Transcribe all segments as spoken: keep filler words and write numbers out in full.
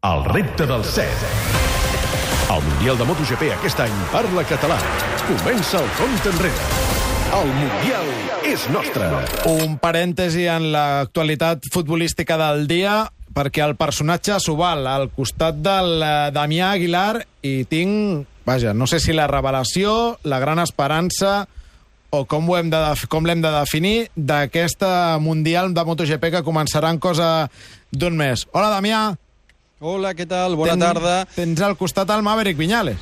El repte del set. El Mundial de MotoGP aquest any parla català. Comença el compte enrere. El Mundial és nostre. Un parèntesi en l'actualitat futbolística del dia, perquè el personatge s'ho val al costat del Damià Aguilar i tinc, vaja, no sé si la revelació, la gran esperança o com ho hem de, com l'hem de definir d'aquesta Mundial de MotoGP que començarà en cosa d'un mes. Hola, Damià. Hola, què tal? Bona Ten, tarda. Tens al costat el Maverick Viñales.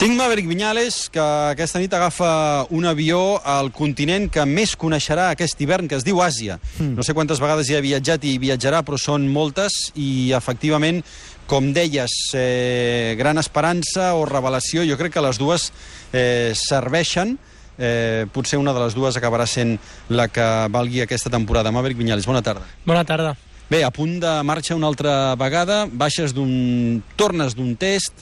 Tinc Maverick Viñales, que aquesta nit agafa un avió al continent que més coneixerà aquest hivern, que es diu Àsia. Mm. No sé quantes vegades hi ha viatjat i viatjarà, però són moltes, i efectivament, com deies, eh, gran esperança o revelació, jo crec que les dues eh, serveixen. Eh, potser una de les dues acabarà sent la que valgui aquesta temporada. Maverick Viñales, bona tarda. Bona tarda. Bé, a punt de marxa una altra vegada, baixes d'un... tornes d'un test,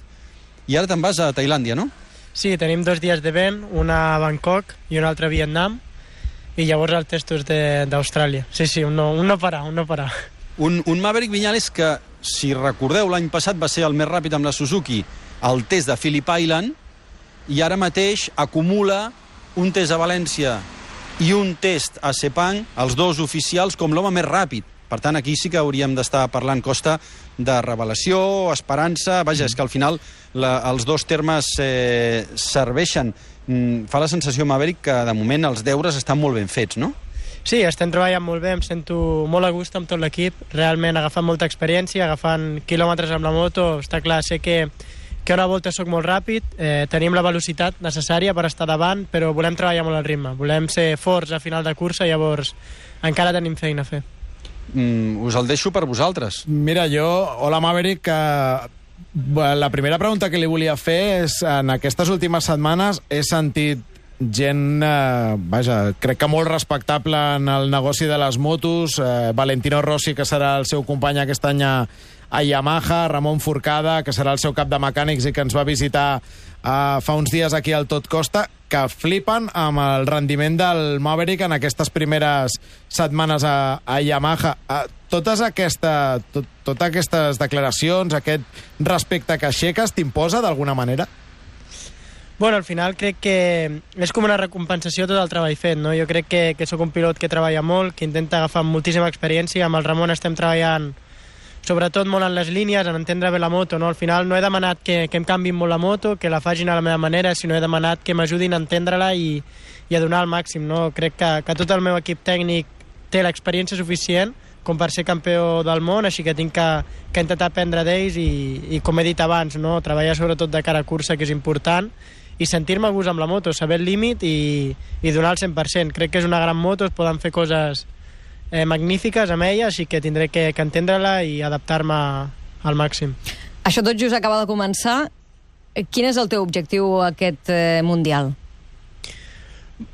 i ara te'n vas a Tailàndia, no? Sí, tenim dos dies de vent, una a Bangkok i una altra a Vietnam, i llavors el testos d'Austràlia. Sí, sí, un no, un no parar, un no parar. Un, un Maverick Viñales que, si recordeu, l'any passat va ser el més ràpid amb la Suzuki al test de Phillip Island, i ara mateix acumula un test a València i un test a Sepang, els dos oficials, com l'home més ràpid. Per tant, aquí sí que hauríem d'estar parlant, Costa, de revelació, esperança. Vaja, és que al final la, els dos termes eh, serveixen. Mm, fa la sensació, Maverick, que de moment els deures estan molt ben fets, no? Sí, estem treballant molt bé, em sento molt a gust amb tot l'equip, realment agafant molta experiència, agafant quilòmetres amb la moto. Està clar, sé que, que una volta soc molt ràpid, eh, tenim la velocitat necessària per estar davant, però volem treballar molt al ritme, volem ser forts a final de cursa, llavors encara tenim feina a fer. Mm, us el deixo per vosaltres. Mira, jo, hola Maverick, que la primera pregunta que li volia fer és, en aquestes últimes setmanes he sentit gent, eh, vaja, crec que molt respectable en el negoci de les motos, eh, Valentino Rossi, que serà el seu company aquest any a, a Yamaha, Ramon Forcada, que serà el seu cap de mecànics i que ens va visitar eh, fa uns dies aquí al Tot Costa, que flipen amb el rendiment del Maverick en aquestes primeres setmanes a, a Yamaha. Totes, aquesta, tot, totes aquestes declaracions, aquest respecte que aixeques, t'imposa d'alguna manera? Bueno, al final crec que és com una recompensació tot el treball fet, no? Jo crec que, que sóc un pilot que treballa molt, que intenta agafar moltíssima experiència. Amb el Ramon estem treballant sobretot molt en les línies, en entendre bé la moto, no? Al final no he demanat que, que em canviïn molt la moto, que la facin a la meva manera, sinó he demanat que m'ajudin a entendre-la i, i a donar el màxim, no? Crec que, que tot el meu equip tècnic té l'experiència suficient com per ser campió del món, així que tinc que, que intentar aprendre d'ells i, i, com he dit abans, no? Treballar sobretot de cara a cursa, que és important, i sentir-me a gust amb la moto, saber el límit i, i donar el cent per cent. Crec que és una gran moto, es poden fer coses Eh, magnífiques amb ella, així que tindré que, que entendre-la i adaptar-me al màxim. Això tot just acaba de començar. Quin és el teu objectiu aquest eh, Mundial?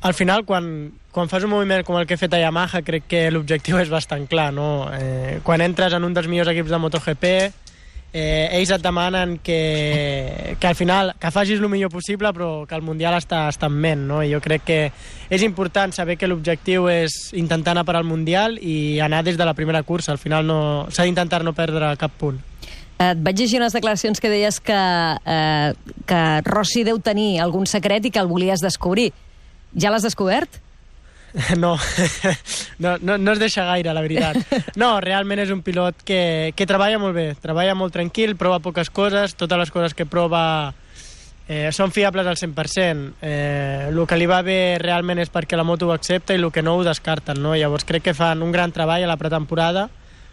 Al final, quan, quan fas un moviment com el que he fet a Yamaha, crec que l'objectiu és bastant clar, no? Eh, quan entres en un dels millors equips de MotoGP, eh, ells et demanen que, que al final que facis el millor possible, però que el Mundial està, està en ment, no? I jo crec que és important saber que l'objectiu és intentar anar per al Mundial i anar des de la primera cursa. Al final no, s'ha d'intentar no perdre cap punt. Et vaig llegir unes declaracions que deies que, eh, que Rossi deu tenir algun secret i que el volies descobrir. Ja l'has descobert? No, no, no, no es deixa gaire, la veritat. No, realment és un pilot que, que treballa molt bé, treballa molt tranquil, prova poques coses, totes les coses que prova eh, són fiables al cent per cent. Eh, el que li va bé realment és perquè la moto ho accepta i el que no ho descarten, no? Llavors crec que fan un gran treball a la pretemporada,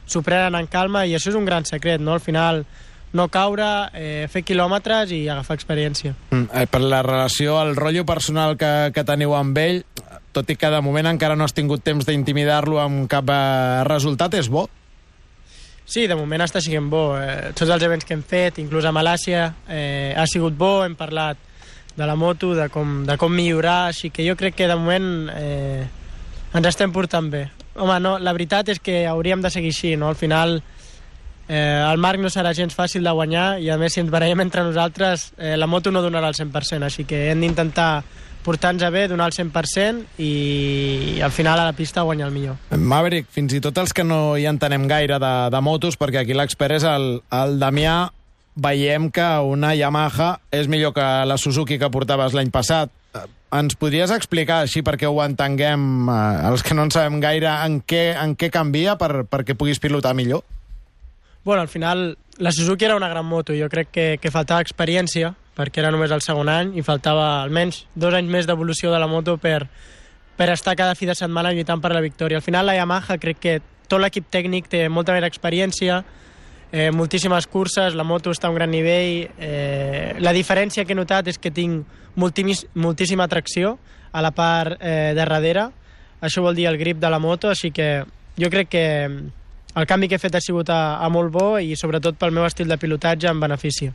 s'ho prenen en calma i això és un gran secret, no? Al final no caure, eh, fer quilòmetres i agafar experiència. Mm, eh, per la relació, el rotllo personal que, que teniu amb ell, tot i que de moment encara no has tingut temps d'intimidar-lo amb cap eh, resultat, és bo? Sí, de moment està sent bo. Eh, tots els events que hem fet, inclús a Malàcia, eh, ha sigut bo, hem parlat de la moto, de com, de com millorar, així que jo crec que de moment eh, ens estem portant bé. Home, no, la veritat és que hauríem de seguir així, no? Al final eh, el Marc no serà gens fàcil de guanyar i a més si ens barallem entre nosaltres eh, la moto no donarà el cent per cent, així que hem d'intentar portar-nos bé, donar el cent per cent i al final a la pista guanyar el millor. Maverick, fins i tot els que no hi entenem gaire de, de motos, perquè aquí l'expert és el, el Damià, veiem que una Yamaha és millor que la Suzuki que portaves l'any passat. Ens podries explicar, així perquè ho entenguem, eh, els que no en sabem gaire, en què, en què canvia per, perquè puguis pilotar millor? Bueno, al final, la Suzuki era una gran moto. Jo crec que, que faltava experiència, perquè era només el segon any, i faltava almenys dos anys més d'evolució de la moto per, per estar cada fi de setmana lluitant per la victòria. Al final, la Yamaha, crec que tot l'equip tècnic té molta més experiència, eh, moltíssimes curses, la moto està a un gran nivell. Eh, la diferència que he notat és que tinc moltíssima tracció a la part eh, de darrere. Això vol dir el grip de la moto, així que jo crec que el canvi que he fet ha sigut a, a molt bo i sobretot pel meu estil de pilotatge en benefici.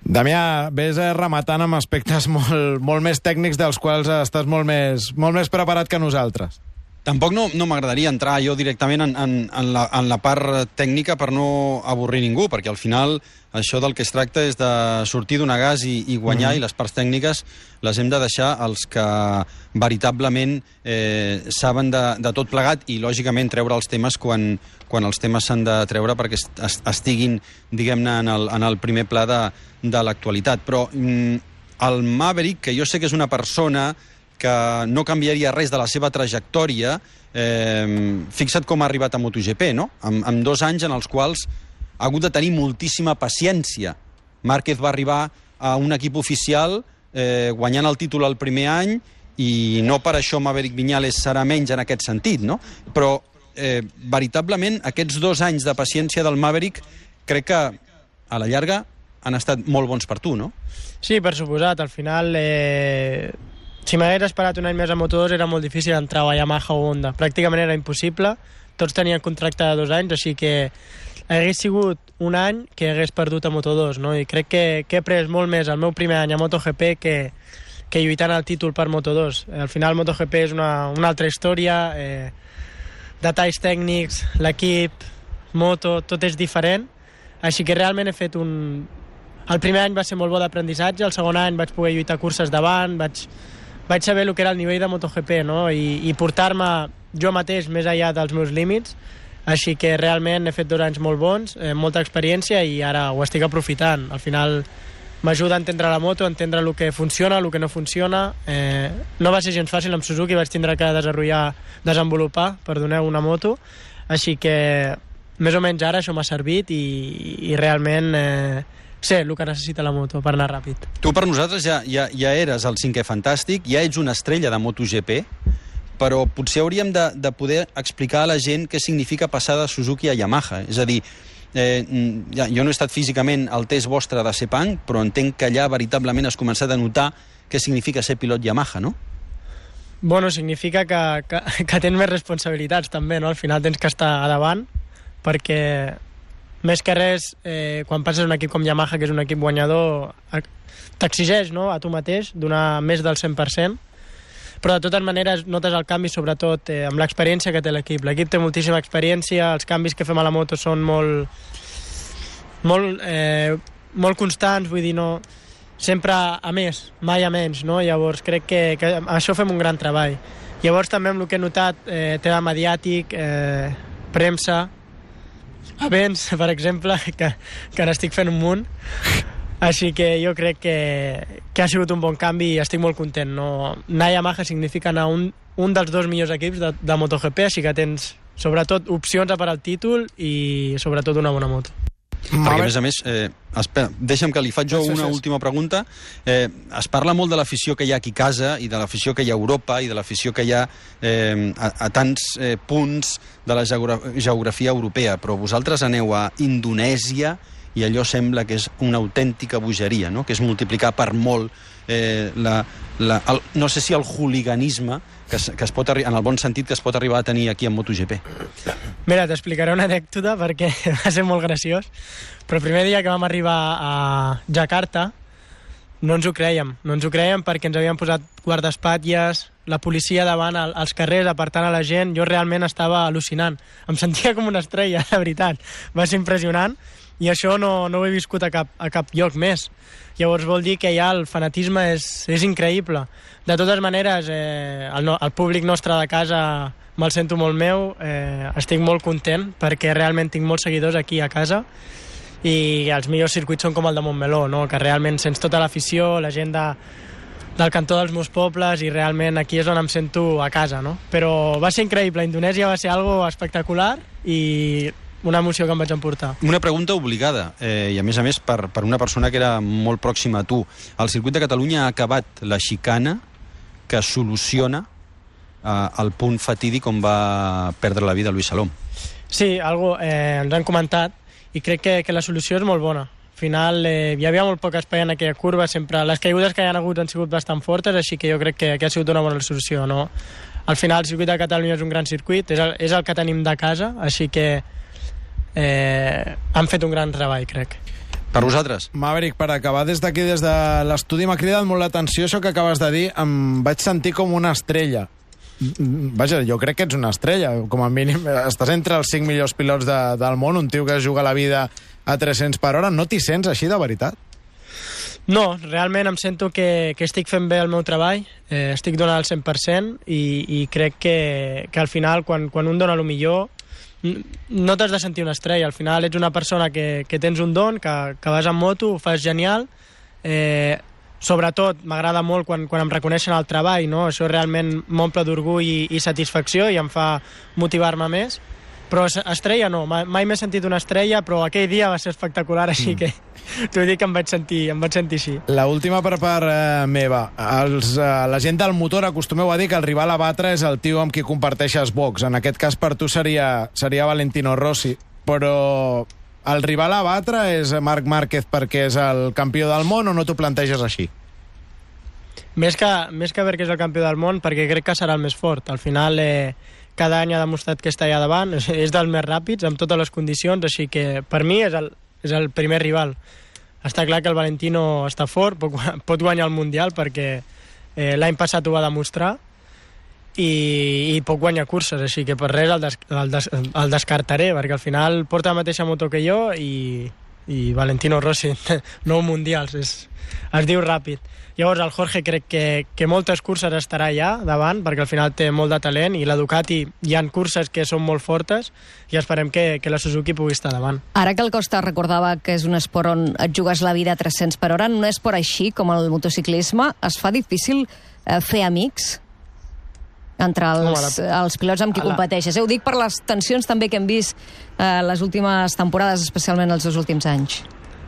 Damià, ves rematant amb aspectes molt, molt més tècnics dels quals estàs molt més, molt més preparat que nosaltres. Tampoc no, no m'agradaria entrar jo directament en, en, en, la, en la part tècnica per no avorrir ningú, perquè al final això del que es tracta és de sortir d'un gas i, i guanyar, mm. i les parts tècniques les hem de deixar als que veritablement eh, saben de, de tot plegat i, lògicament, treure els temes quan, quan els temes s'han de treure perquè est, estiguin, diguem-ne, en, el, en el primer pla de, de l'actualitat. Però mm, el Maverick, que jo sé que és una persona que no canviaria res de la seva trajectòria, eh, fixa't com ha arribat a MotoGP, no? Amb, amb dos anys en els quals ha hagut de tenir moltíssima paciència. Márquez va arribar a un equip oficial eh, guanyant el títol el primer any i no per això Maverick Viñales serà menys en aquest sentit, no? Però eh, veritablement aquests dos anys de paciència del Maverick crec que a la llarga han estat molt bons per tu, no? Sí, per suposat. Al final, eh, si m'hagués esperat un any més a Moto dos era molt difícil entrar a Yamaha o Honda. Pràcticament era impossible. Tots tenien contracte de dos anys, així que hagués sigut un any que hagués perdut a Moto dos, no? I crec que, que he pres molt més el meu primer any a MotoGP que, que lluitant el títol per Moto dos. Al final MotoGP és una, una altra història, eh, detalls tècnics, l'equip, moto, tot és diferent, així que realment he fet un... El primer any va ser molt bo d'aprenentatge, el segon any vaig poder lluitar curses davant, vaig, vaig saber el que era el nivell de MotoGP, no? I, i portar-me jo mateix més enllà dels meus límits. Així que realment he fet dos anys molt bons, eh, molta experiència i ara ho estic aprofitant. Al final m'ajuda a entendre la moto, a entendre el que funciona, el que no funciona. Eh, no va ser gens fàcil amb Suzuki, vaig tindre que desenvolupar, desenvolupar perdoneu, una moto. Així que més o menys ara això m'ha servit i, i realment eh, sé el que necessita la moto per anar ràpid. Tu per nosaltres ja, ja, ja eres el cinquè fantàstic, ja ets una estrella de MotoGP, però potser hauríem de, de poder explicar a la gent què significa passar de Suzuki a Yamaha. És a dir, eh, ja, jo no he estat físicament al test vostre de Sepang, però entenc que allà veritablement has començat a notar què significa ser pilot Yamaha, no? Bueno, significa que, que, que tens més responsabilitats també, no? Al final tens que estar a davant, perquè més que res, eh, quan passes un equip com Yamaha, que és un equip guanyador, t'exigeix, no?, a tu mateix donar més del cent per cent, però de totes maneres notes el canvi sobretot eh, amb l'experiència que té l'equip. L'equip té moltíssima experiència, els canvis que fem a la moto són molt molt, eh, molt constants, vull dir, no, sempre a més, mai a menys, no? Llavors crec que, que això fem un gran treball. Llavors també amb el que he notat, eh, tema mediàtic, eh, premsa, events, per exemple, que, que n'estic fent un munt. Així que jo crec que, que ha sigut un bon canvi i estic molt content. No? Anar a Yamaha significa anar a un, un dels dos millors equips de, de MotoGP, així que tens sobretot opcions a per al títol i sobretot una bona moto. Perquè, a més a més, eh, espera, deixa'm que li faig jo una última pregunta. Eh, es parla molt de l'afició que hi ha aquí a casa i de l'afició que hi ha a Europa i de l'afició que hi ha eh, a, a tants eh, punts de la geografia europea, però vosaltres aneu a Indonèsia i allò sembla que és una autèntica bogeria, no? Que és multiplicar per molt eh, la, la, el, no sé si el hooliganisme que es, que es pot en el bon sentit que es pot arribar a tenir aquí en MotoGP. Mira, t'explicaré una anècdota perquè va ser molt graciós, però el primer dia que vam arribar a Jakarta no ens ho creiem, no ens ho creiem perquè ens havien posat guardaespatlles, la policia davant als carrers apartant a la gent. Jo realment estava al·lucinant, em sentia com una estrella, de veritat, va ser impressionant. i això no, no ho he viscut a cap, a cap lloc més. Llavors vol dir que ja el fanatisme és, és increïble. De totes maneres, eh, el, no, el públic nostre de casa me'l sento molt meu, eh, estic molt content perquè realment tinc molts seguidors aquí a casa i els millors circuits són com el de Montmeló, no? Que realment sents tota l'afició, la gent de, del cantó dels meus pobles i realment aquí és on em sento a casa, no? Però va ser increïble, Indonèsia va ser algo espectacular i una emoció que em vaig emportar. Una pregunta obligada, eh, i a més a més per, per una persona que era molt pròxima a tu. El circuit de Catalunya ha acabat la xicana que soluciona eh, el punt fatídic on va perdre la vida Luis Salom. Sí, algo, eh, ens han comentat i crec que, que la solució és molt bona. Al final eh, hi havia molt poc espai en aquella curva, sempre les caigudes que hi ha hagut han sigut bastant fortes, així que jo crec que, que ha sigut una bona solució, no? Al final el circuit de Catalunya és un gran circuit, és el, és el que tenim de casa, així que Eh, han fet un gran treball, crec. Per vosaltres? Maverick, per acabar des d'aquí, des de l'estudi, m'ha cridat molt l'atenció això que acabes de dir. Em vaig sentir com una estrella. Vaja, jo crec que ets una estrella. Com a mínim, estàs entre els cinc millors pilots de, del món, un tio que juga la vida a tres-cents per hora. No t'hi sents així, de veritat? No, realment em sento que, que estic fent bé el meu treball, eh, estic donant el cent per cent i, i crec que, que al final, quan, quan un dona el millor, no t'has de sentir una estrella. Al final ets una persona que, que tens un don, que, que vas en moto, ho fas genial. Eh, sobretot m'agrada molt quan, quan em reconeixen el treball, no? Això realment m'omple d'orgull i, i satisfacció i em fa motivar-me més. Però estrella no, mai, mai m'he sentit una estrella, però aquell dia va ser espectacular, així mm. que t'ho dic que em vaig sentir, em vaig sentir així. La última per part eh, meva. Els, eh, la gent del motor acostumeu a dir que el rival a batre és el tio amb qui comparteixes box. En aquest cas per tu seria, seria Valentino Rossi. Però el rival a batre és Marc Márquez perquè és el campió del món o no t'ho planteges així? Més que, més que perquè és el campió del món, perquè crec que serà el més fort. Al final eh, cada any ha demostrat que està allà davant, és dels més ràpids, amb totes les condicions, així que per mi és el, és el primer rival. Està clar que el Valentino està fort, pot, pot guanyar el Mundial perquè eh, l'any passat ho va demostrar i, i pot guanyar curses, així que per res el, des, el, des, el descartaré, perquè al final porta la mateixa moto que jo i, i Valentino Rossi, nou Mundials, és, es diu ràpid. Llavors el Jorge crec que, que moltes curses estarà allà davant, perquè al final té molt de talent, i la Ducati hi ha curses que són molt fortes i esperem que, que la Suzuki pugui estar davant. Ara que el Costa recordava que és un esport on et jugues la vida a tres-cents per hora, en un esport així com el motociclisme, es fa difícil eh, fer amics entre els, Home, la... els pilots amb qui la... competeixes. Eh, ho dic per les tensions també que hem vist eh, les últimes temporades, especialment els dos últims anys.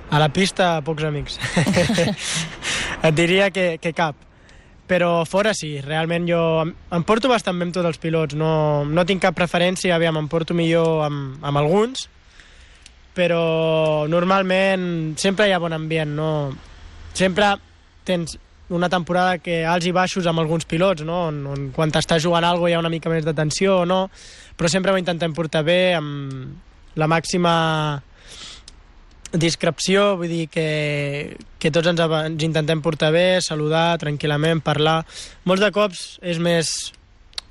A la pista, pocs amics. Et diria que, que cap. Però fora sí, realment jo em, em porto bastant bé amb tots els pilots. No, no tinc cap preferència, aviam, em porto millor amb, amb alguns, però normalment sempre hi ha bon ambient, no? Sempre tens una temporada que alts i baixos amb alguns pilots, no? On, on quan t'estàs jugant alguna cosa hi ha una mica més de tensió o no, però sempre ho intentem portar bé, amb la màxima discreció, vull dir que, que tots ens, ens intentem portar bé, saludar tranquil·lament, parlar. Molts de cops és més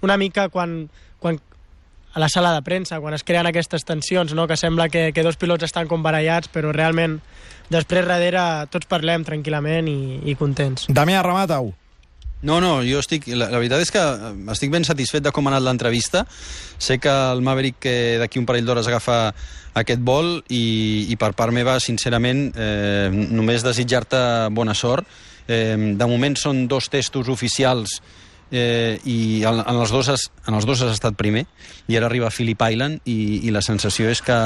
una mica quan, quan a la sala de premsa, quan es creen aquestes tensions, no? Que sembla que, que dos pilots estan com barallats, però realment després darrere tots parlem tranquil·lament i, i contents. Damià, remata-ho. No, no, jo estic... La, la veritat és que estic ben satisfet de com ha anat l'entrevista. Sé que el Maverick eh, d'aquí un parell d'hores agafa aquest vol i, i per part meva, sincerament, eh, només desitjar-te bona sort. Eh, de moment són dos testos oficials eh, i en, en, els dos has, en els dos has estat primer i ara arriba Phillip Island i, i la sensació és que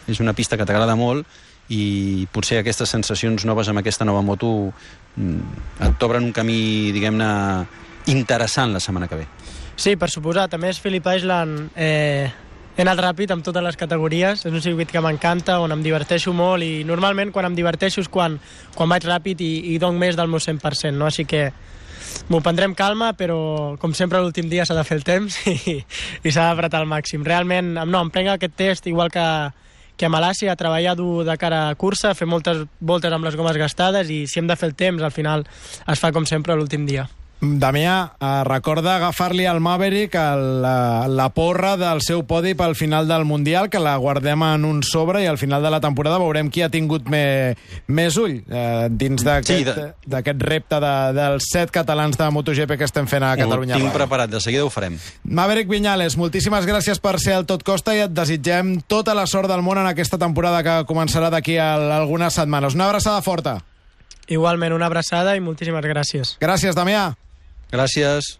és una pista que t'agrada molt i potser aquestes sensacions noves amb aquesta nova moto et t'obren un camí, diguem-ne, interessant la setmana que ve. Sí, per suposat. A més, Phillip Island eh, he anat ràpid amb totes les categories. És un circuit que m'encanta, on em diverteixo molt i normalment quan em diverteixo és quan, quan vaig ràpid i, i dono més del meu cent per cent, no? Així que m'ho prendrem calma, però com sempre l'últim dia s'ha de fer el temps i, i s'ha d'apretar al màxim. Realment, no, em prenc aquest test igual que que a Malàcia, a treballar dur de cara a cursa, fer moltes voltes amb les gomes gastades i si hem de fer el temps, al final es fa com sempre l'últim dia. Damià, eh, recorda agafar-li al Maverick el, la, la porra del seu podi pel final del Mundial, que la guardem en un sobre i al final de la temporada veurem qui ha tingut me, més ull eh, dins d'aquest Sí, de... d'aquest repte de, dels set catalans de MotoGP que estem fent a Catalunya. Ho tinc Ràdio. preparat, de seguida ho farem. Maverick Viñales, moltíssimes gràcies per ser al Tot Costa i et desitgem tota la sort del món en aquesta temporada que començarà d'aquí a algunes setmanes. Una abraçada forta. Igualment, una abraçada i moltíssimes gràcies. Gràcies, Damià. Gràcies.